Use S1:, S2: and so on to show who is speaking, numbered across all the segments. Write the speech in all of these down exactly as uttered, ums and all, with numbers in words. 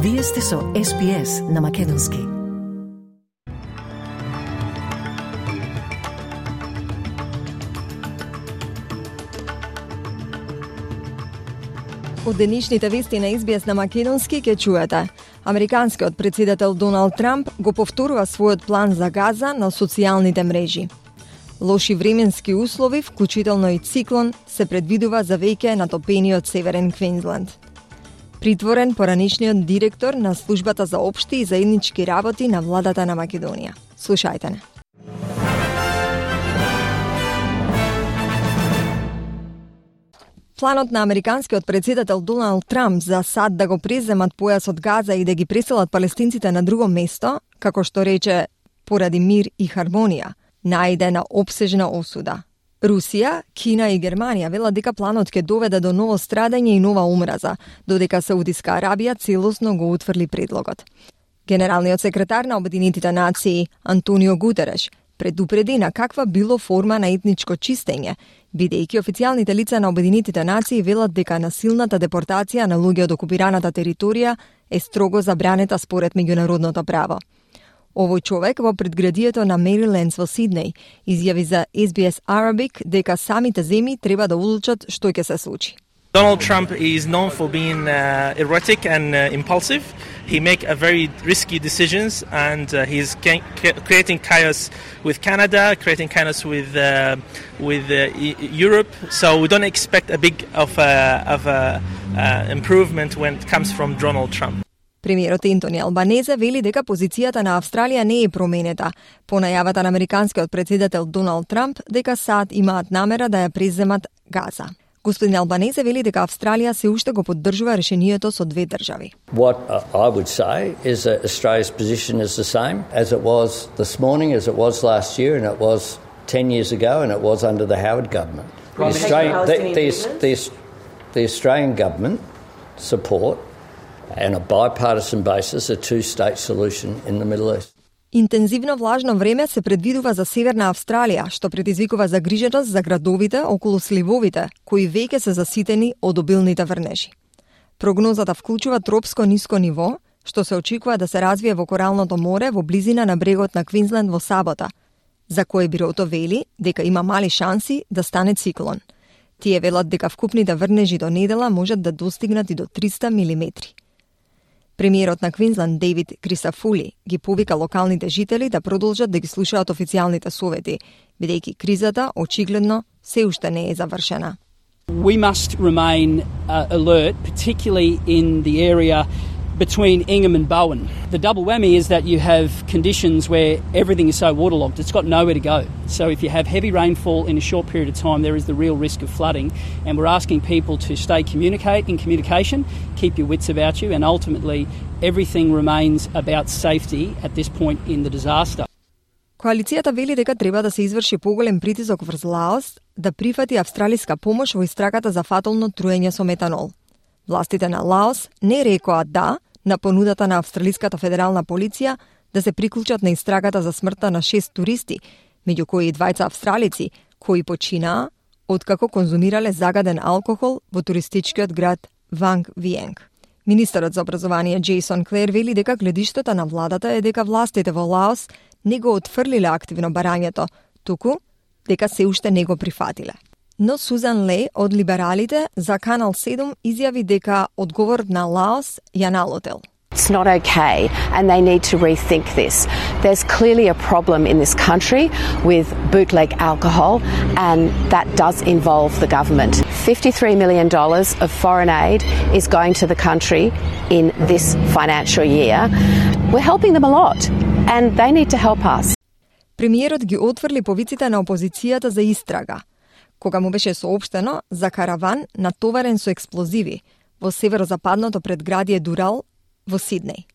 S1: Вие сте со Ес Би Ес на Македонски.
S2: Од денешните вести на Ес Би Ес на Македонски ќе чуете. Американскиот председател Доналд Трамп го повторува својот план за Газа на социјалните мрежи. Лоши временски услови, вклучително и циклон, се предвидува за веќе натопениот Северен Квинсленд. Притворен поранишниот директор на Службата за општи и заеднички работи на владата на Македонија. Слушајте не. Планот на американскиот председател Доналд Трамп за САД да го преземат појасот Газа и да ги преселат палестинците на друго место, како што рече поради мир и хармонија, најде на опсежна осуда. Русија, Кина и Германија велат дека планот ќе доведе до ново страдање и нова омраза, додека Саудиска Арабија целосно го утврли предлогот. Генералниот секретар на Обединетите нации Антонио Гутереш предупреди на каква било форма на етничко чистење, бидејќи официјалните лица на Обединетите нации велат дека насилната депортација на луѓе од окупираната територија е строго забранета според меѓународното право. Овој човек во предградието на Мерилендс во Сиднеј изјави за Ес Би Ес Arabic дека самите земји треба да одлучат што ќе се случи.
S3: Donald Trump is known for being uh, erratic and uh, impulsive. He make a very risky decisions, and uh, he's ca- creating chaos with Canada, creating chaos with uh, with uh, e- Europe. So we don't expect a big of a, of a, uh, improvement when it comes from Donald Trump.
S2: Премиерот Ентони Албанезе вели дека позицијата на Австралија не е променета по најавата на американскиот председател Доналд Трамп дека САД имаат намера да ја преземат Газа. Господин Албанезе вели дека Австралија се уште го поддржува решението со две држави.
S4: What I would say is that Australia's position is the same as it was this morning, as it was last year, and it was ten years ago, and it was under the Howard government. The Australian, the, the, the, the Australian government support and a bipartisan basis a two-state solution in the Middle East.
S2: Интензивно влажно време се предвидува за Северна Австралија, што предизвикува загриженост за градовите околу сливовите, кои веќе се заситени од обилните врнежи. Прогнозата вклучува тропско ниско ниво, што се очекува да се развие во Коралното море во близина на брегот на Квинсленд во сабота, за кој бирото вели дека има мали шанси да стане циклон. Тие велат дека вкупните врнежи до недела можат да достигнат и до триста милиметри. Премиерот на Квинсленд Дейвид Крисафули ги повика локалните жители да продолжат да ги слушаат официјалните совети, бидејќи кризата очигледно се уште не е завршена.
S5: We must remain uh, alert, particularly in the area between Ingham and Bowen. The double whammy is that you have conditions where everything is so waterlogged, it's got nowhere to go. So if you have heavy rainfall in a short period of time, there is the real risk of flooding. And we're asking people to stay communicate in communication, keep your wits about you, and ultimately everything remains about safety at this point in the disaster.
S2: Коалицијата вели дека треба да се изврши поголем притисок врз Лаос да прифати австралиска помош во истрагата за фатално труење со метанол. Властите на Лаос не рекоа да на понудата на Австралиската федерална полиција да се приклучат на истрагата за смртта на шест туристи, меѓу кои и двајца австралици, кои починаа откако конзумирале загаден алкохол во туристичкиот град Ванг Виенг. Министерот за образование Джейсон Клер вели дека гледиштето на владата е дека властите во Лаос не го отфрлиле активно барањето, туку дека се уште не го прифатиле. Но Сузан Ле од либералите за Канал седум изјави дека одговорот на Лаос ја налутел.
S6: It's not okay, and they need to rethink this. There's clearly a problem in this country with bootleg alcohol, and that does involve the government. fifty-three million dollars of foreign aid is going to the country in this financial year. We're helping them a lot, and they need to help us.
S2: Премиерот ги отврли повиците на опозицијата за истрага, кога му беше соопштено за караван натоварен со експлозиви во северозападното предградие Дурал во Сиднеј.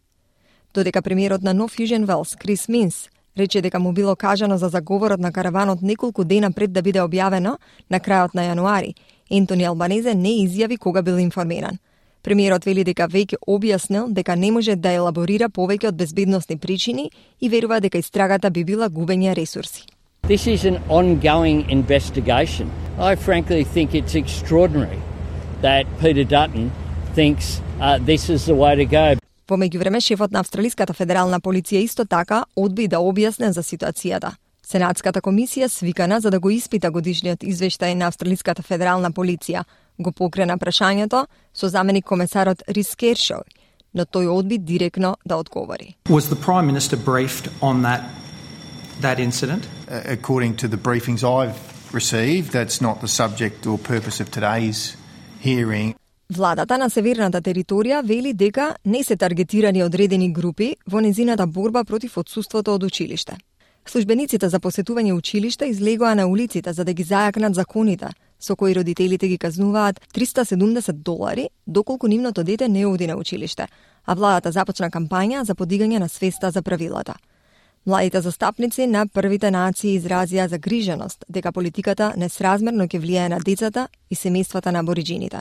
S2: Додека премиерот на Нов Јужен Велс, Крис Минс, рече дека му било кажано за заговорот на караванот неколку дена пред да биде објавено на крајот на јануари, Ентони Албанезе не изјави кога бил информиран. Премиерот вели дека веќе објаснил дека не може да елаборира повеќе од безбедносни причини и верува дека истрагата би била губење ресурси.
S7: This is an ongoing investigation. I frankly think it's extraordinary that Peter Dutton thinks uh, this is the way to go.
S2: Во меѓувреме, шефот на Австралиската федерална полиција исто така одби да објасне за ситуацијата. Сенатската комисија, свикана за да го испита годишниот извештај на Австралиската федерална полиција, го покрена прашањето со заменик комесарот Рис Кершој, но тој одби директно да одговори.
S8: Was the Prime Minister briefed on that that incident?
S9: Uh, according to the briefings I've received, that's not the subject or purpose of today's hearing.
S2: Владата на северната територија вели дека не се таргетирани одредени групи во незината борба против отсуството од училиште. Службениците за посетување училиште излегоа на улиците за да ги зајакнат законите, со кои родителите ги казнуваат триста и седумдесет долари доколку нивното дете не оди на училиште, а владата започна кампања за подигање на свеста за правилата. Младите застапници на првите нации изразија загриженост дека политиката несразмерно ќе влијае на децата и семејствата на абориџините.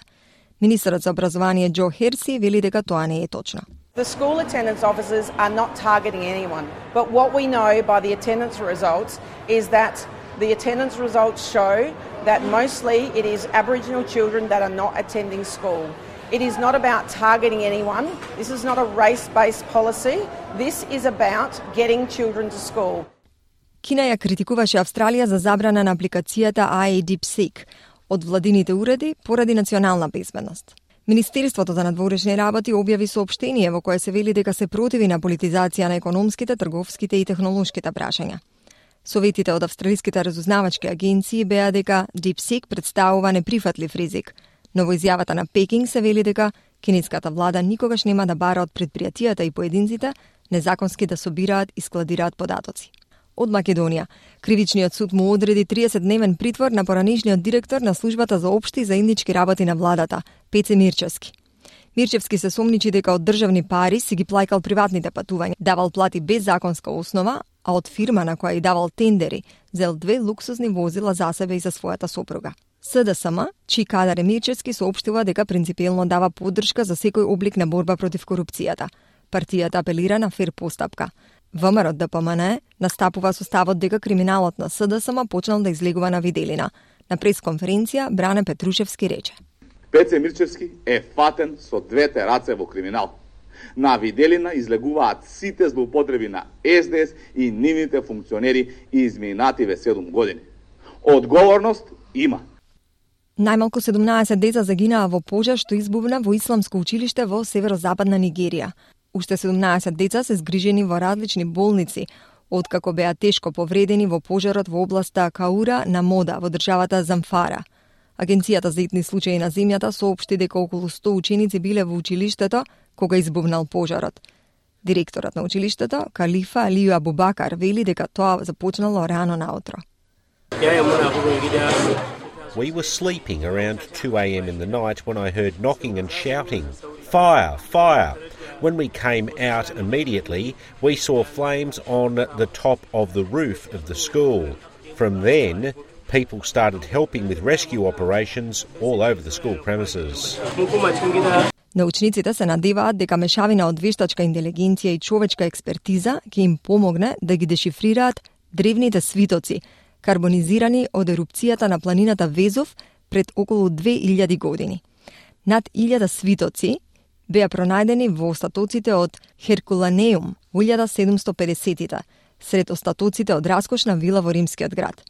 S2: Министерот за образование Джо Херси вели дека тоа не е точно.
S10: The school attendance officers are not targeting anyone, but what we know by the attendance results is that the attendance results show that mostly it is Aboriginal children that are not attending school. It is not about targeting anyone. This is not a race-based policy. This is about getting children to school.
S2: Кина ја критикуваше Австралија за забрана на апликацијата ай ей DeepSeek од владините уреди поради национална безбедност. Министерството за надворешни работи објави соопштение во кое се вели дека се противи на политизација на економските, трговските и технолошките прашања. Советите од австралиските разузнавачки агенции беа дека DeepSeek представува неприфатлив ризик, но во изјавата на Пекинг се вели дека кинеската влада никогаш нема да бара од предпријатијата и поединците незаконски да собираат и складираат податоци. Од Македонија, кривичниот суд му одреди триесетдневен притвор на поранешниот директор на службата за општи и заеднички работи на владата, Пеце Мирчевски. Мирчевски се сомничи дека од државни пари си ги плаќал приватните патувања, давал плати без законска основа, а од фирма на која и давал тендери, зел две луксузни возила за себе и за својата сопруга. С Д С М, чии кадар Мирчевски соопштува дека принципиелно дава поддршка за секој облик на борба против корупцијата. Партијата апелира на фер постапка. ВМРО Д П М Н настапува со ставот дека криминалот на С Д С М почнал да излегува на виделина. На пресконференција Бране Петрушевски рече:
S11: Пеце Мирчевски е фатен со двете раце во криминал. На виделина излегуваат сите злоупотреби на С Д С и нивните функционери изминативе седум години. Одговорност има.
S2: Најмалку седумнаесет деца загинаа во пожар што избувна во исламско училиште во северозападна Нигерија. Уште седумнаесет деца се згрижени во различни болници, откако беа тешко повредени во пожарот во областа Каура на Мода во државата Замфара. Агенцијата за итни случаи на земјата соопшти дека околу сто ученици биле во училиштето кога избувнал пожарот. Директорот на училиштето, Калифа Алију Абубакар, вели дека тоа започнало рано наутро.
S12: We were sleeping around two a m in the night when I heard knocking and shouting, "Fire! Fire!" When we came out immediately, we saw flames on the top of the roof of the school. From then, people started helping with rescue operations all over the school premises.
S2: Научниците се надеваат дека мешавина од вештачка интелигенција и човечка експертиза ќе им помогне да ги дешифрираат древните свитоци, карбонизирани од ерупцијата на планината Везов пред околу две илјади години. Над илјада свитоци беа пронајдени во остатоците од Херкуланеум во илјада седумсто педесетите, сред остатоците од раскошна вила во римскиот град.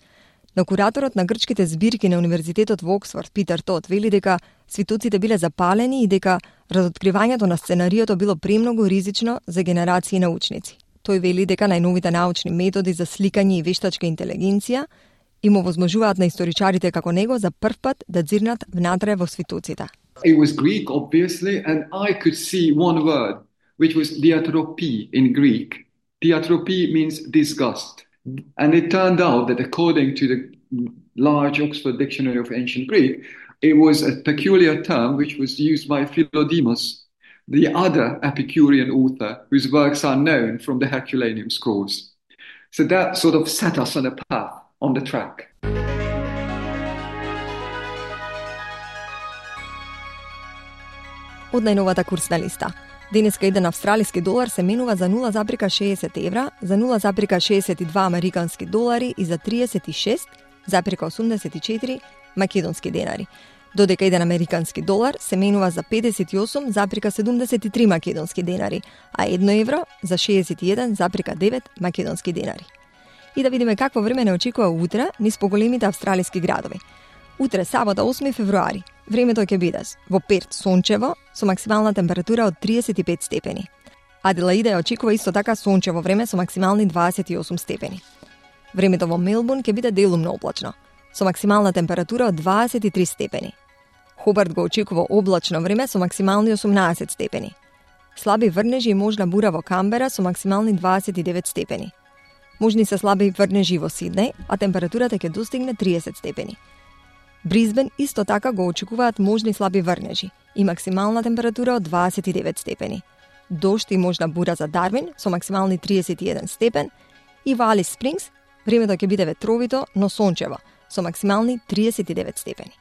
S2: Но кураторот на грчките збирки на Универзитетот во Оксфорд, Питер Тот, вели дека свитоците биле запалени и дека разоткривањето на сценариото било премногу ризично за генерации научници. Тој вели дека најновите научни методи за сликање и вештачка интелигенција им овозможуваат на историчарите како него за прв пат да дзирнат внатре во свитоците.
S13: It was Greek, obviously, and I could see one word, which was diatropy in Greek. Diatropy means disgust. And it turned out that according to the large Oxford Dictionary of Ancient Greek, it was a peculiar term which was used by Philodemus, the other Epicurean author whose works are known from the Herculaneum scrolls. So that sort of set us on a path, on the track.
S2: Од најновата курсна листа. Денеска еден австралиски долар се менува за нула запирка шеесет евра, за нула запирка шеесет и два американски долари и за триесет и шест запирка осумдесет и четири македонски денари. додека еден американски долар се менува за педесет и осум запирка седумдесет и три македонски денари, а едно евро за шеесет и еден запирка девет македонски денари. И да видиме какво време не очекува утре низ поголемите австралиски градови. Утре, сабота, осми февруари, времето ќе биде во Перт сончево со максимална температура од триесет и пет степени. Аделаида ја очекува исто така сончево време со максимални дваесет и осум степени. Времето во Мелбурн ќе биде делумно облачно, со максимална температура од дваесет и три степени. Хобарт го очекува облачно време со максимални осумнаесет степени. Слаби врнежи и можна бура во Камбера со максимални дваесет и девет степени. Можни се слаби врнежи во Сиднеј, а температурата ќе достигне триесет степени. Бризбен исто така го очекуваат можни слаби врнежи и максимална температура од дваесет и девет степени. Дожд и можна бура за Дарвин со максимални триесет и еден степен и во Алис Спрингс времето ќе биде ветровито, но сончево со максимални триесет и девет степени.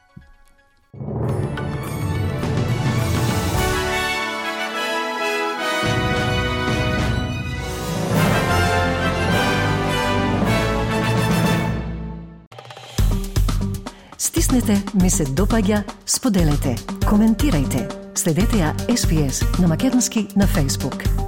S1: Стиснете, ми се допаѓа, споделете, коментирајте. Следете ја Ес Би Ес на македонски на Facebook.